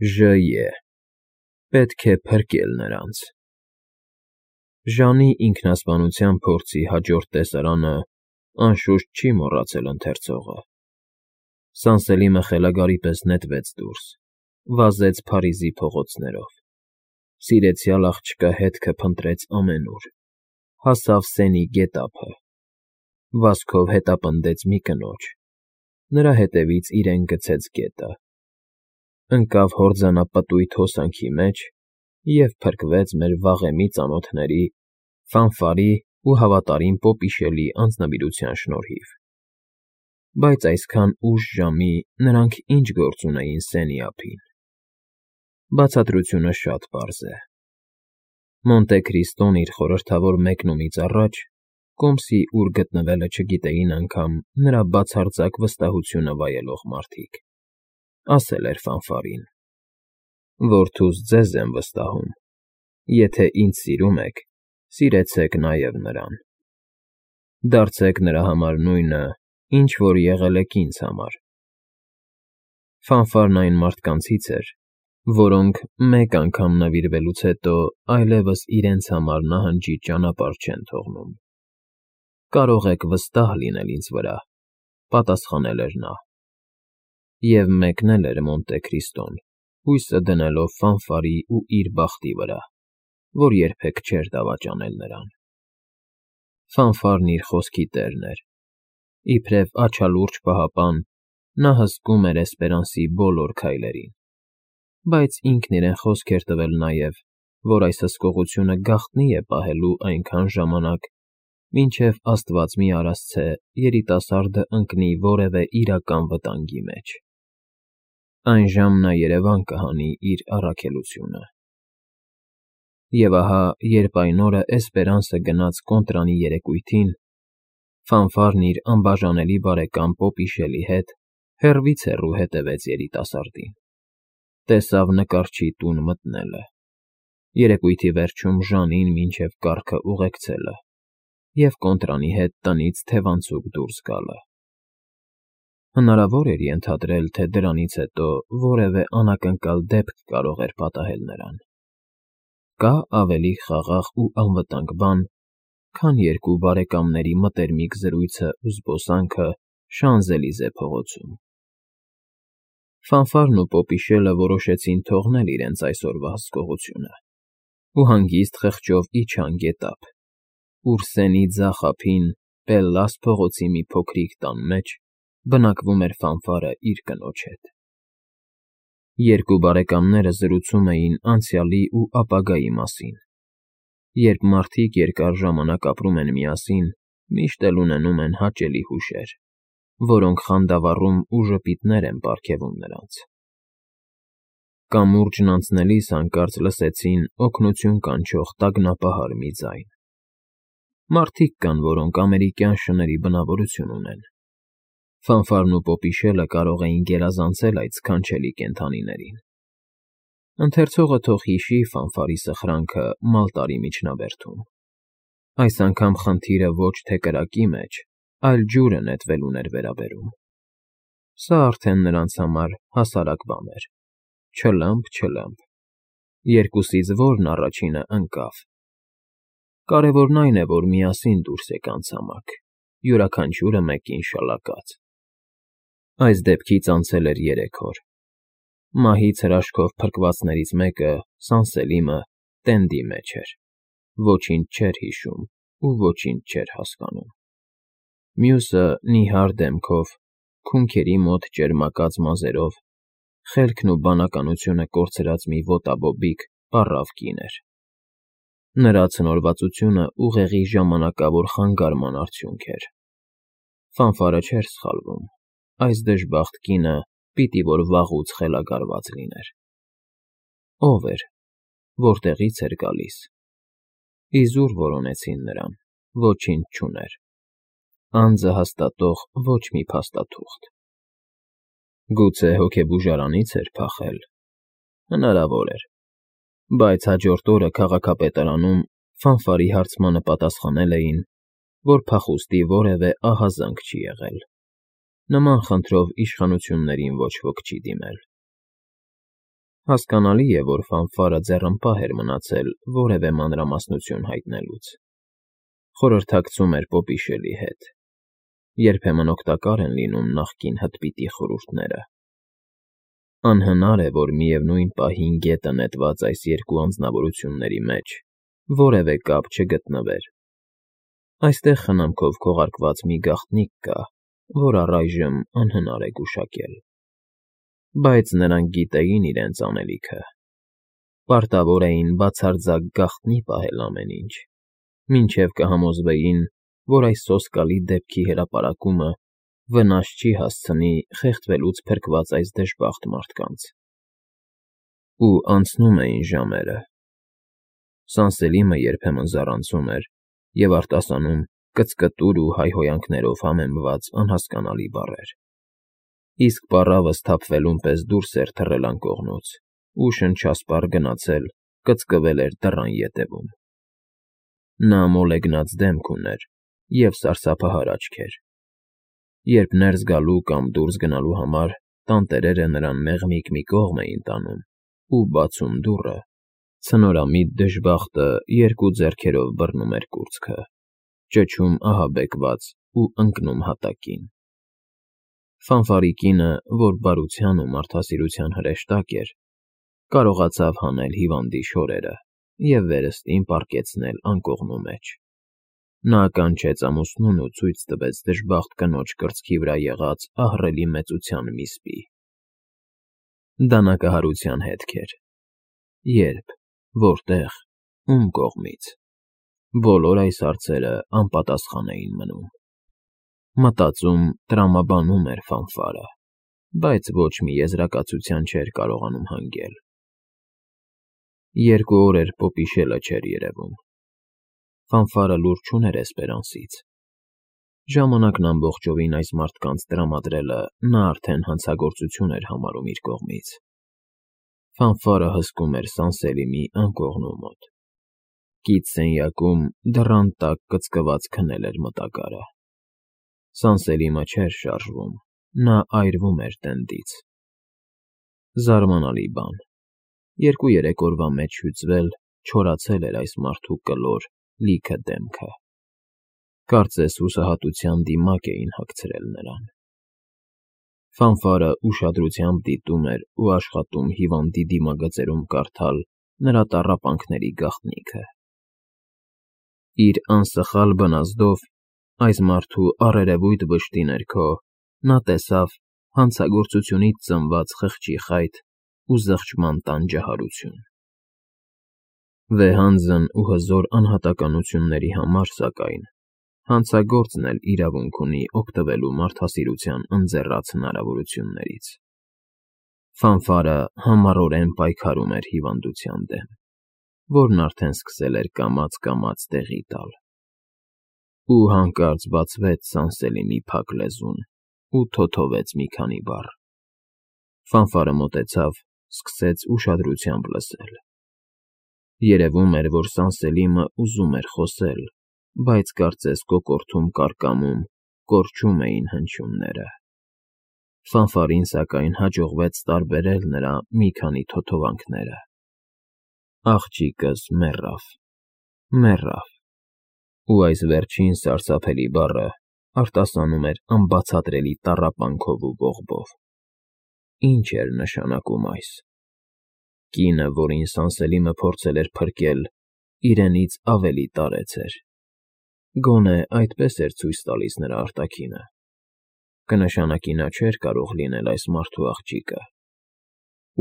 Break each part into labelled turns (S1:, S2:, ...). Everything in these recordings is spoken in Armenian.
S1: Ժ.Ե. Պետք է փրկել նրանց։ Ժանի ինքնասպանության փորձի հաջորդ տեսարանը, անշուշտ, չի մոռացել ընթերցողը։ Սանսելիմը խելագարի պես նետվեց դուրս, վազեց Փարիզի փողոցներով, սիրեցյալ աղջկա հետքը փնտրեց ամենուր, հասավ Սենի գետափը, վազքով հետապնդեց մի կնոջ, նրա հետևից իրեն գցեց գետը, ընկավ հորձանապտույտ հոսանքի մեջ և փրկվեց մեր վաղեմի ծանոթների Ֆանֆարի ու հավատարիմ Պոպիշելի անձնվիրության շնորհիվ։ Բայց այսքան ուշ ժամի նրանք ինչ գործ ունեին Սենի ափին։ Բացատրությունը շատ պարզ է. Մոնտե Քրիստոն իր խորհրդավոր մեկնումից առաջ, կոմսի ուր գտնվելը չգիտեին անգամ նրա բացարձակ վստահությունը վայելող մարդիկ, ասել էր Ֆանֆարին. «Որդուս ձեզ եմ վստահում, եթե ինձ սիրում եք, սիրեցեք նաև նրան։ Դարձեք նրա համար նույնը, ինչ որ եղել եք ինձ համար»։ Ֆանֆարն այն մարդկանցից էր, որոնք մեկ անգամ նվիրվելուց հետո այլևս իրենց համար նահանջի ճանապարհ չեն թողնում։ Կարող եք վստահ լինել ինձ վրա, պատասխանել էր նա։ Եվ մեկնել էր Մոնտե Քրիստոն, հույսը դնելով Ֆանֆարի ու իր բախտի վրա, որ երբեք չէր դավաճանել նրան։ Ֆանֆարն իր խոսքի տերն էր։ Իբրև աջալուրջ պահապան, նա հսկում էր Էսպերանսի բոլոր քայլերին, բայց ինքն իրեն խոսք էր տվել նաև, որ այս հսկողությունը գաղտնի է պահելու այնքան ժամանակ, մինչև աստված մի արասցե երիտասարդը ընկնի որևէ իրական վտանգի մեջ։ Այն ժամ նա երևան կհանի իր առաքելությունը։ Եվ ահա, երբ այն օրը Էսպերանսը գնաց կոնտրանի երեկույթին, Ֆանֆարն իր անբաժանելի բարեկամ Պոպիշելի հետ հեռվից հեռու հետևեց երիտասարդին, տեսավ նկարչի տուն մտնելը, երեկույթի վերջում Ժանին մինչև կառքը ուղեկցելը և կոնտրանի հետ տնից թևանցուկ դուրս գալը։ Հնարավոր էր ենթադրել, թե դրանից հետո որևէ անակնկալ դեպք կարող էր պատահել նրան։ Կա՞ ավելի խաղաղ ու անվտանգ բան, քան երկու բարեկամների մտերմիկ զրույցն ու զբոսանքը Շանզելիզե փողոցում։ Ֆանֆարն ու Պոպիշելը որոշեցին թողնել իրենց այսօրվա հսկողությունը ու հանգիստ խղճով իջան գետափ, ուր Սենի ձախ ափին, Պելլաս փողոցի մի փոքրիկ տան մեջ բնակվում էր Ֆանֆարը իր կնոջ հետ։ Երկու բարեկամները զրուցում էին անցյալի ու ապագայի մասին։ Երբ մարդիկ երկար ժամանակ ապրում են միասին, միշտ էլ ունենում են հաճելի հուշեր, որոնք խանդավառում ու ժպիտներ են պարգևում նրանց։ Կամուրջն անցնելիս հանկարծ լսեցին օգնություն կանչող տագնապահար մի ձայն։ Մարդիկ կան, որոնք ամերիկյան շների բնավորություն ունեն։ Ֆանֆարն ու Պոպիշելը կարող էին գերազանցել այդ սքանչելի կենդանիներին։ Ընթերցողը թող հիշի Ֆանֆարի սխրանքը Մալտարի միջնաբերդում։ Այս անգամ խնդիրը ոչ թե կրակի մեջ, այլ ջուրը նետվելուն էր վերաբերում։ Սա արդեն նրանց համար հասարակ բան էր։ Չլըմփ, երկուսից որն առաջինը ընկավ։ Կարևորն այն է, որ միասին դուրս եկան ցամաք, յուրաքանչյուրը մեկին շալակած։ Այս դեպքից անցել էր 3 օր։ Մահից հրաշքով փրկվածներից մեկը, Սանսելիմը, տենդի մեջ էր, ոչինչ չէր հիշում ու ոչինչ չէր հասկանում։ Մյուսը նիհար դեմքով, քունքերի մոտ ճերմակած մազերով, խելքն ու բանականությունը կորցրած մի ոտաբոբիկ, պառավ կին էր։ Նրա ցնորվածությունը ուղեղի ժամանակավոր խանգարման արդյունք էր։ Ֆանֆարը չէր սխալվում, այս դժբախտ կինը պիտի որ վաղուց խելագարված լիներ։ Ո՞վ էր, որտեղից էր գալիս։ Իզուր որոնեցին նրան, ոչինչ չուներ։ Անձը հաստատող ոչ մի փաստաթուղթ։ Գուցե հոգեբուժարանից էր փախել։ Հնարավոր էր։ Բայց հաջորդ օրը քաղաքապետարանում Ֆանֆարի հարցմանը պատասխանել էին, որ փախուստի որևէ ահազանգ չի եղել։ Նման խնդրով իշխանություններին ոչ ոք չի դիմել։ Հասկանալի է, որ ֆանֆարը ձեռնպահ էր մնացել որևէ մանրամասնություն հայտնելուց. խորհրդակցում էր Պոպիշելի հետ, երբեմն օգտակար են լինում նախկին հտպիտի խորհուրդները։ Անհնար է, որ միևնույն պահին գետը նետված այս երկու անձնավորությունների մեջ որևէ կապ չգտնվեր։ Այստեղ խնամքով քողարկված մի գաղտնիք կա, որ առայժմ անհնար է գուշակել։ Բայց նրանք գիտեին իրենց անելիքը։ Պարտավոր էին բացարձակ գաղտնի պահել ամեն ինչ, մինչև կհամոզվեին, որ այս սոսկալի դեպքի հրապարակումը վնաս չի հասցնի խեղդվելուց փրկված այս դժբախտ մարդկանց։ Ու անցնում էին ժամերը։ Սանսելիմը երբեմն զառանցում էր և արտասանում կծկտուր ու հայհոյանքներով համեմված անհասկանալի բառեր, իսկ պառավը սթափվելուն պես դուրս էր թռել անկողնուց ու շնչասպառ գնացել կծկվել էր դռան ետևում։ Նա մոլեգնած դեմք ուներ և սարսափահար աչքեր։ Երբ ներս գալու կամ դուրս գնալու համար տանտերերը նրան մեղմիկ մի կողմ էին տանում ու բացում դուռը, ցնորամիտ դժբախտը երկու ձեռքերով բռնում էր կուրծքը, ճչում ահաբեկված ու ընկնում հատակին։ Ֆանֆարի կինը, որ բարության ու մարդասիրության հրեշտակ էր, կարողացավ հանել հիվանդի շորերը և վերստին պառկեցնել անկողնու մեջ։ Նա կանչեց ամուսնուն ու ցույց տվեց դժբախտ կնոջ կրծքի վրա եղած ահռելի մեծության մի սպի։ Դանակահարության հետք էր։ Ե՞րբ, որտե՞ղ, ում կողմից։ Բոլոր այս հարցերը անպատասխան էին մնում։ Մտածում, տրամաբանում էր ֆանֆարը, բայց ոչ մի եզրակացության չէր կարողանում հանգել։ 2 օր էր Պոպիշելը չէր երևում։ Ֆանֆարը լուր չուներ Էսպերանսից։ Ժամանակն ամբողջովին այս մարդկանց տրամադրելը նա արդեն հանցագործություն էր համարում իր կողմից։ Ֆանֆարը հսկում էր Սանսելիմի անկողնու մոտ։ Կից սենյակում դռան տակ կծկված քնել էր մտակարը։ Սանսելիմը չէր շարժվում, նա այրվում էր տենդից։ Զարմանալի բան։ 2-3 օրվա մեջ հյուծվել, չորացել էր այս մարդու կլոր, լիքը դեմքը։ Կարծես հուսահատության դիմակ էին հագցրել նրան։ Ֆանֆարը ուշադրությամբ դիտում էր ու աշխատում հիվանդի դիմագծերում կարդալ նրա տառապանքների գաղտնիքը։ Իր անսխալ բնազդով այս մարդու առերևույթ վշտի ներքո նա տեսավ հանցագործությունից ծնված խղճի խայթ ու զղջման տանջահարություն։ Վեհանձն ու հզոր անհատականությունների համար, սակայն, հանցագործն էլ իրավունք ունի օգտվելու մարդասիրության ընձեռած հնարավորություններից։ Ֆանֆարը համառորեն պայքարում էր հիվանդության դեմ, որն արդեն սկսել էր կամաց֊կամաց տեղի տալ։ Ու հանկարծ բացվեց Սանսելիմի փակ լեզուն ու թոթովեց մի քանի բառ։ Ֆանֆարը մոտեցավ, սկսեց ուշադրությամբ լսել։ Երևում էր, որ Սանսելիմը ուզում էր խոսել, բայց կարծես կոկորդում կարկամում կորչում էին հնչյունները։ Ֆանֆարին, սակայն, հաջողվեց տարբերել նրա մի քանի թոթովանքները։ Աղջիկս մեռավ, ու այս վերջին սարսափելի բառը արտասանում էր անբացատրելի տառապանքով ու ողբով։ Ինչ էր նշանակում այս։ Կինը, որին Սանսելիմը փորձել էր փրկել, իրենից ավելի տարեց էր։ Գոնե այդպես էր ցույց տալիս նրա արտաքինը։ Կնշանակի նա չէր կարող լինել այս մարդու աղջիկը։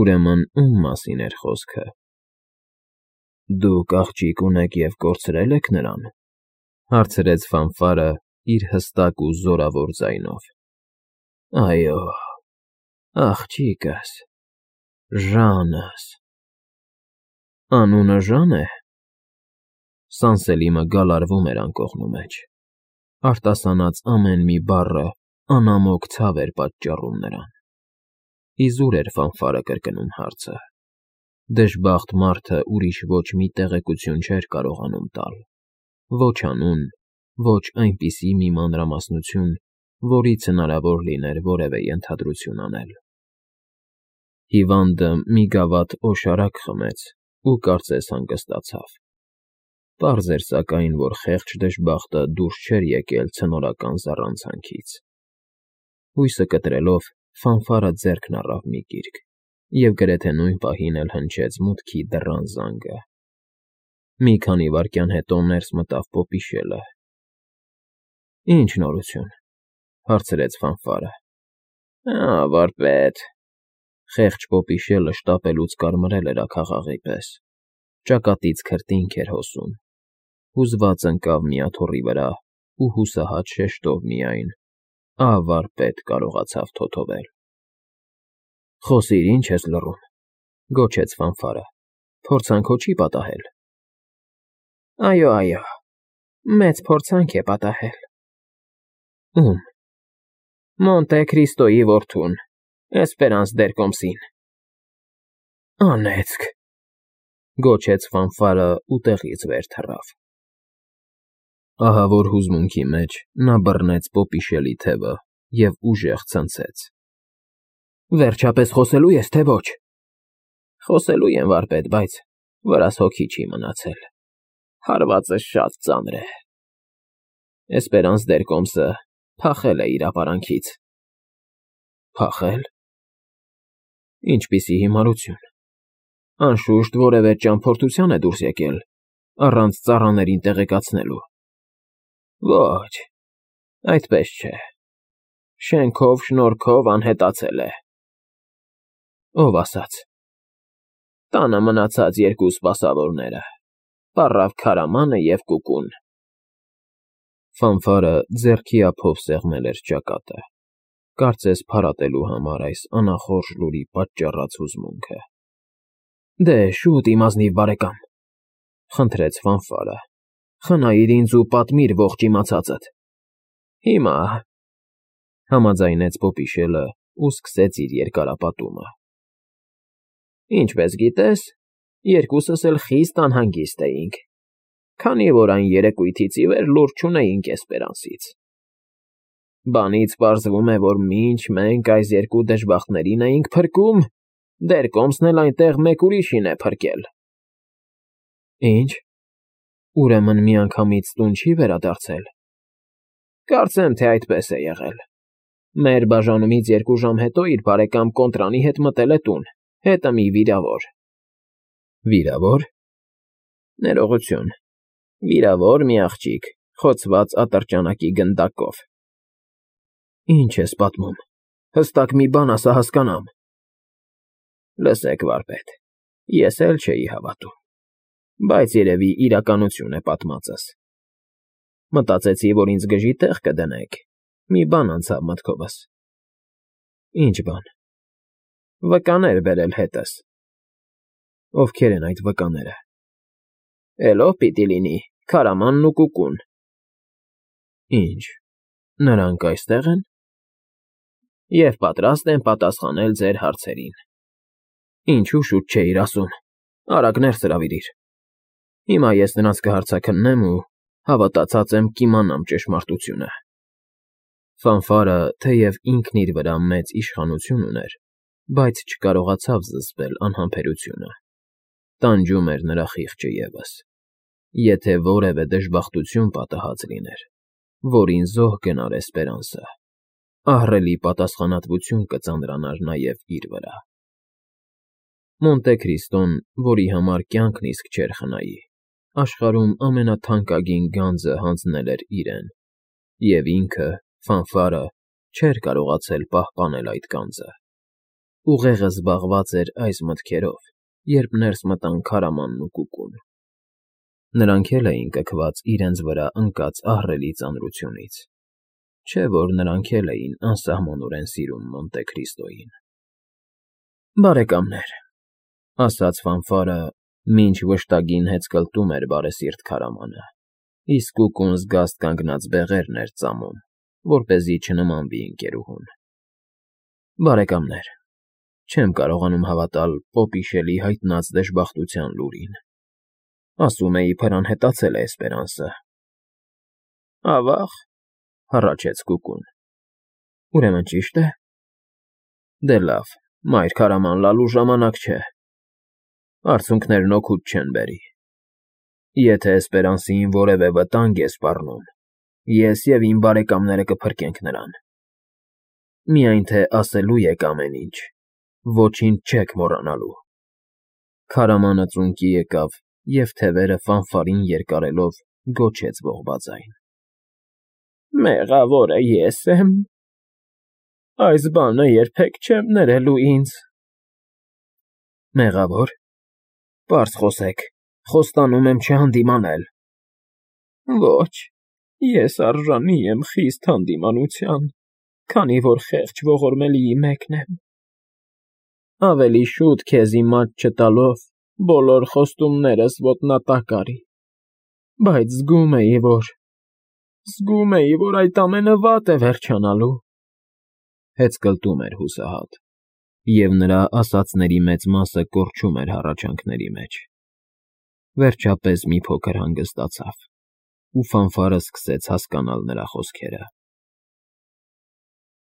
S1: Ուրեմն ում մասին էր խոսքը։ Դուք աղջիկ ունեք և կորցրել եք նրան,֊ հարցրեց Ֆանֆարը իր հստակ ու զորավոր ձայնով։ Այո, աղջիկս, Ժանս։ Անունը Ժան է։ Սանսելիմը գալարվում էր անկողնու մեջ։ Արտասանած ամեն մի բառը անամոք ցավ էր պատճառում նրան։ Իզուր էր Ֆանֆարը կրկնում հարցը։ Դժբախտ մարդը ուրիշ ոչ մի տեղեկություն չէր կարողանում տալ։ Ոչ անուն, ոչ այնպիսի մի մանրամասնություն, որից հնարավոր լիներ որևէ ենթադրություն անել։ Հիվանդը մի գավաթ օշարակ խմեց ու կարծես հանգստացավ։ Պարզ էր սակայն, որ խեղճ դժբախտը դուրս չէր եկել ցնորական զառանցանքից։ Հույսը կտրելով, Ֆանֆարը ձեռքն առավ մի գիրք և գրեթե նույն պահին էլ հնչեց մուտքի դռան զանգը։ Մի քանի վայրկյան հետո ներս մտավ պոպիշելը։ «Ի՞նչ նորություն,» հարցրեց Ֆանֆարը։ «Վարպետ,» խեղճ պոպիշելը շտապելուց կարմրել էր աքաղաղի պես, ճակատից քրտինք էր հոսում, հուզված ընկավ մի աթոռի վրա ու հուսահատ շեշտով միայն «Վարպետ» կարողացավ թոթովել։ «Խոսիր, ինչ ես լռում,֊ գոչեց Ֆանֆարը,֊ փորձանք հո չի պատահել»։ «Այո, մեծ փորձանք է պատահել»։ «Ում»։ «Մոնտե Քրիստոյի որդուն, Էսպերանս դերկոմսին»։ «Անեծք,֊ գոչեց Ֆանֆարը ու տեղից վեր թռավ։ Ահավոր հուզմունքի մեջ նա բռնեց պոպիշելի թևը և ուժեղ ցնցեց։ «Վերջապես խոսելո՞ւ ես, թե ոչ»։ «Խոսելու եմ, վարպետ, բայց վրաս հոգի չի մնացել։ Հարվածս շատ ծանր է։ Էսպերանս դերկոմսը փախել է իր ապարանքից»։ «Փախե՞լ»։ «Ինչպիսի հիմարություն։ Անշուշտ որևէ ճամփորդության է դուրս եկել, առանց ծառաներին տեղեկացնելու»։ «Ոչ, այդպես չէ։ Շենքով շնորհքով անհետացել է»։ «Ով ասաց»։ «Տանը մնացած երկու սպասավորները՝ պառավ քարամանը և Կուկուն»։ Ֆանֆարը ձեռքի ափով սեղմել էր ճակատը, կարծես փարատելու համար այս անախորժ լուրի պատճառած հուզմունքը։ «Դե, շուտ, իմ ազնիվ բարեկամ,֊ խնդրեց Ֆանֆարը,֊ խնայիր ինձ ու պատմիր ողջ իմացածդ»։ «Հիմա,֊ համաձայնեց պոպիշելը ու սկսեց իր երկարապատումը։ «Ինչպես գիտես, երկուսս էլ խիստ անհանգիստ էինք, քանի որ այն երեկույթից ի վեր լուր չունեինք Էսպերանսից։ Բանից պարզվում է, որ մինչ մենք այս երկու դժբախտներին էինք փրկում, դերկոմսն էլ այնտեղ մեկ ուրիշին է փրկել»։ «Ի՞նչ, ուրեմն միանգամից տուն չի վերադարձել»։ «Կարծեմ, թե այդպես է եղել։ Մեր բաժանումից 2 ժամ հետո իր բարեկամ Կոնտրանի հետ մտել է տուն, հետը մի վիրավոր»։ «Վիրավոր»։ «Ներողություն, վիրավոր մի աղջիկ, խոցված ատրճանակի գնդակով»։ «Ինչ ես պատմում, հստակ մի բան ասա, հասկանամ»։ «Լսեք, վարպետ, ես էլ չէի հավատում, բայց երևի իրականություն է պատմածս։ Մտածեցի, որ ինձ գժի տեղ կդնեք, մի բան անցավ մտքովս»։ «Ինչ բան»։ «Վկաներ բերել հետս»։ «Ովքեր են այդ վկաները»։ «Էլի պիտի լինի քարամանն ու Կուկուն»։ «Ինչ, նրանք այստեղ են»։ «Եվ պատրաստ են պատասխանել ձեր հարցերին»։ «Ինչու շուտ չէիր ասում, արագ ներս հրավիրիր։ Հիմա ես նրանց կհարձաքննեմ ու հավատացած եմ կիմանամ ճշմարտությունը»։ Ֆանֆարը, թեև ինքն իր վրա մեծ իշխանություն ուներ, բայց չկարողացավ զսպել անհամբերությունը։ Տանջում էր նրա խիղճը ևս։ Եթե որևէ դժբախտություն պատահած լիներ, որին զոհ գնար Էսպերանսը, ահռելի պատասխանատվություն կծանրանար նաև իր վրա։ Մոնտե Քրիստոն, որի համար կյանքն իսկ չէր խնայի, աշխարհում ամենաթանկագին գանձը հանձնել էր իրեն, և ինքը, Ֆանֆարը, չէր կարողացել պահպանել այդ գանձը։ Ուղեղը զբաղված էր այս մտքերով, երբ ներս մտան քարամանն ու Կուկուն։ Նրանք էլ էին կքված իրենց վրա ընկած ահռելի ծանրությունից, չէ՞ որ նրանք էլ էին անսահմանորեն սիրում Մոնտե Քրիստոյին։ «Բարեկամներ», ասաց Ֆանֆարը, մինչ վշտագին հեծկլտում էր բարեսիրտ քարամանը, իսկ Կուկուն զգաստ կանգնած բեղերն էր ծամում, որպեսզի չնմանվի ընկերուհուն։ «Բարեկամներ, չեմ կարողանում հավատալ պոպիշելի հայտնած դժբախտության լուրին։ Ասում էի, փրան հետացել է Էսպերանսը»։ «Ավա՞ղ,֊ հառաչեց Կուկուն։ «Ուրեմն ճիշտ է։ Դե լավ, Մայր քարաման լալու ժամանակ չէ։ Արցունքներն օգուտ չեն բերի։ Եթե Էսպերանսիին որևէ վտանգ է սպառնում, ես և իմ բարեկամները կփրկենք նրան։ Միայն թե ասելու եք ամեն ինչ, ոչինչ չեք մոռանալու։ Քարամանը ծունկի եկավ և թևերը ֆանֆարին երկարելով գոչեց ողբաձայն. Մեղավորը ես եմ։ Այս բանը երբեք չեմ ներելու ինձ։ Մեղավոր։ Պարզ խոսեք, խոստանում եմ չհանդիմանել։ Ոչ, ես արժանի եմ խիստ հանդիմանության, քանի որ խեղճ ողորմելիի մեկն եմ։ Ավելի շուտ քեզ իմ աջ չտալով բոլոր խոստումներս ոտնատակ արի, բայց զգում էի, որ այդ ամենը վատ է վերջանալու։ Հեծկլտում էր հուսահատ, և նրա ասածների մեծ մասը կորչում էր հառաչանքների մեջ։ Վերջապես մի փոքր հանգստացավ, ու ֆանֆարը սկսեց հասկանալ նրա խոսքերը։